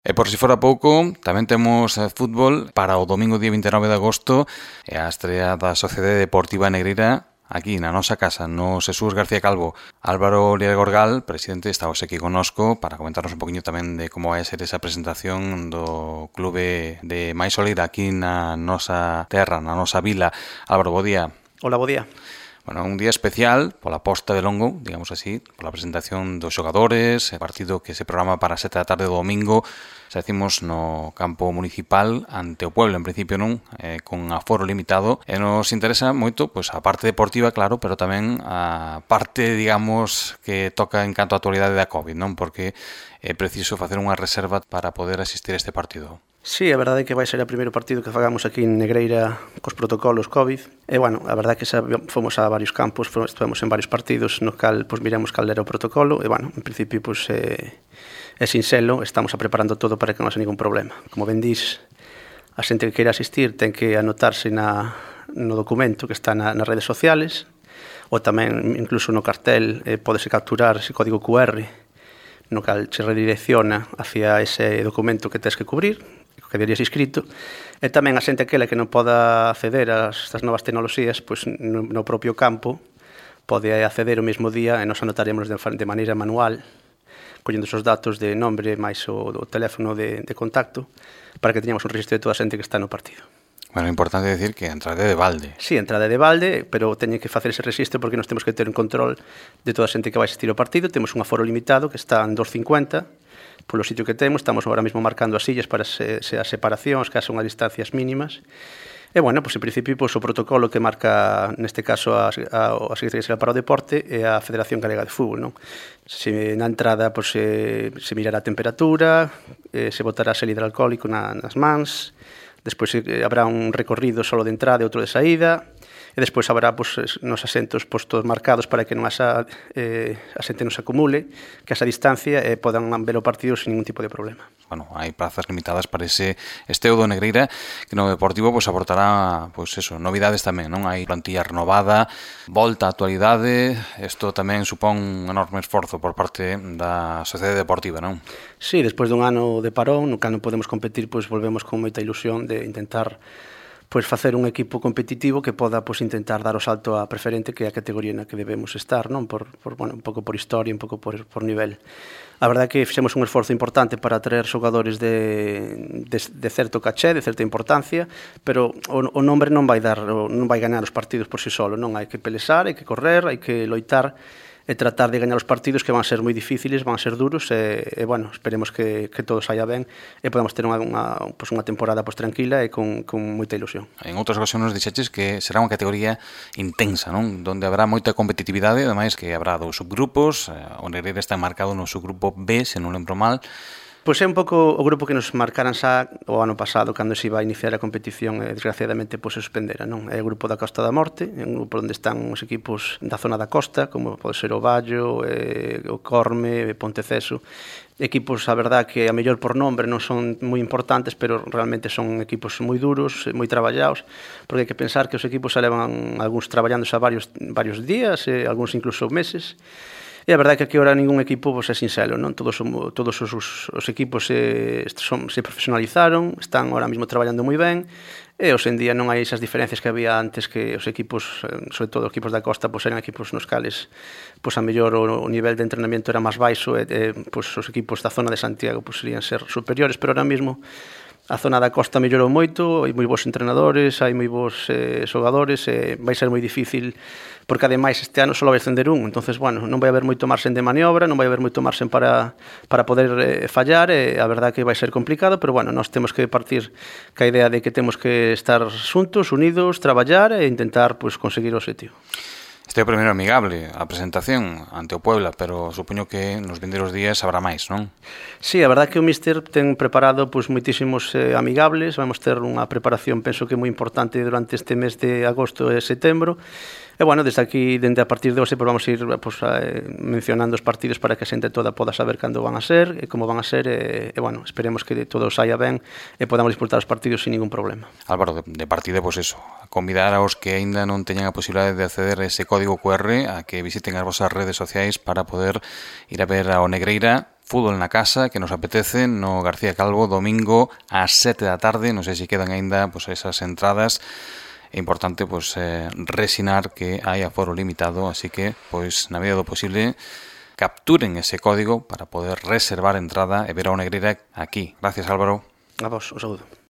E por si fora pouco, tamén temos fútbol para o domingo día 29 de agosto e a estrea da Sociedade Deportiva Negreira aquí na nosa casa, no Jesús García Calvo. Álvaro Lier Gorgal, presidente, está hoxe aquí connosco para comentarnos un poquinho tamén de como vai ser esa presentación do clube de máis Soleira aquí na nosa terra, na nosa vila. Álvaro, bo día. Hola, bo día. Bueno, un día especial pola posta de longo, digamos así, pola presentación dos xogadores, partido que se programa para 7 da tarde do domingo, xa decimos no campo municipal ante o pueblo, en principio non, con aforo limitado, e nos interesa moito pois a parte deportiva, claro, pero tamén a parte, digamos, que toca en canto a actualidade da COVID, non? Porque é preciso facer unha reserva para poder asistir a este partido. Sí, a verdade é que vai ser o primeiro partido que fagamos aquí en Negreira cos protocolos COVID. E, bueno, a verdade é que fomos a varios campos, estivemos en varios partidos no cal miramos cal era o protocolo e, bueno, en principio, é sinxelo, estamos preparando todo para que non haxa ningún problema. Como ben dís, a xente que queira asistir ten que anotarse no documento que está nas redes sociales ou tamén, incluso no cartel, podese capturar ese código QR no cal se redirecciona hacia ese documento que tens que cubrir, que deberías inscrito, e tamén a xente aquela que non poda acceder a estas novas tecnoloxías, pois no propio campo pode acceder o mesmo día e nos anotaremos de maneira manual, collendo os datos de nombre máis o teléfono de contacto, para que teñamos un registro de toda a xente que está no partido. Bueno, é importante decir que a entrada é de balde. Sí, a entrada é de balde, pero teñen que facer ese registro porque nos temos que ter un control de toda a xente que vai asistir ao partido. Temos un aforo limitado que está en 250 polo sitio que temos. Estamos agora mesmo marcando as sillas para as separacións, que son as distancias mínimas. E, bueno, pois, en principio, pois, o protocolo que marca, neste caso, a Secretaría Xeral para o Deporte e a Federación Galega de Fútbol, non? Se na entrada pois, se mirará a temperatura, se botará xel hidroalcohólico nas mans, despois habrá un recorrido solo de entrada e outro de saída, e despois habrá nos asentos postos marcados para que non a xente non se acumule, que esa distancia podan ver o partido sin ningún tipo de problema. Bueno, hai plazas limitadas para ese esteo do Negreira, que no Deportivo aportará novidades tamén, non? Hai plantilla renovada, volta á actualidade, isto tamén supón un enorme esforzo por parte da Sociedade Deportiva, non? Sí, despois dun ano de parón, no que non podemos competir, volvemos con moita ilusión de intentar facer un equipo competitivo que poda intentar dar o salto á preferente, que é a categoría na que debemos estar, non? Un pouco por historia, un pouco por nivel. A verdade é que fixemos un esforzo importante para traer xogadores de certo caché, de certa importancia, pero o nombre non vai ganar os partidos por si solo, non? Hai que pelexar, hai que correr, hai que loitar e tratar de gañar os partidos, que van ser moi difíciles, van ser duros, e bueno, esperemos que todo saia ben e podamos ter unha temporada tranquila e con moita ilusión. En outras ocasións dixeches que será unha categoría intensa, non? Donde habrá moita competitividade, ademais que habrá dous subgrupos, o Negreira está marcado no subgrupo B, se non lembro mal. Pois é un pouco o grupo que nos marcaran xa o ano pasado, cando se iba a iniciar a competición, e desgraciadamente se suspendera, non? É o grupo da Costa da Morte, é un grupo onde están os equipos da zona da costa, como pode ser o Vallo, o Corme, Ponteceso, equipos, a verdad, que a mellor por nombre non son moi importantes, pero realmente son equipos moi duros, moi traballados, porque hai que pensar que os equipos se levan algúns traballando xa varios días, algúns incluso meses. E a verdade é que agora ningún equipo é sinxelo, non? Todos os equipos se profesionalizaron, están ahora mesmo traballando moi ben, e hoxe en día non hai esas diferencias que había antes, que os equipos, sobre todo os equipos da costa, eran equipos nos cales a mellor o nivel de entrenamiento era máis baixo, e os equipos da zona de Santiago serían ser superiores, pero ahora mesmo a zona da costa mellorou moito, hai moi bons entrenadores, hai moi bons xogadores, e vai ser moi difícil, porque ademais este ano só vai ascender un, entonces, bueno, non vai haber moito marxen de maniobra, non vai haber moito marxen para poder fallar, e a verdade que vai ser complicado, pero, bueno, nós temos que partir ca idea de que temos que estar xuntos, unidos, traballar e intentar conseguir o objetivo. Este é o primeiro amigable, a presentación ante o Puebla, pero supoño que nos vindeiros días habrá máis, non? Sí, a verdade que o míster ten preparado moitísimos amigables, vamos ter unha preparación, penso que moi importante durante este mes de agosto e setembro, e, bueno, desde aquí, dende a partir de hoxe, vamos ir mencionando os partidos para que a xente toda poda saber cando van a ser e como van a ser, e, bueno, esperemos que todo saia ben e podamos disfrutar os partidos sin ningún problema. Álvaro, de partida, convidar aos que aínda non teñan a posibilidade de acceder a ese código QR a que visiten as vosas redes sociais para poder ir a ver ao Negreira fútbol na casa que nos apetece no García Calvo domingo ás 7 da tarde. Non sei se quedan aínda esas entradas. É importante resinar que hai aforo limitado, así que na medida do posible capturen ese código para poder reservar entrada e ver a Negreira aquí. Gracias, Álvaro. A vos, un saúdo.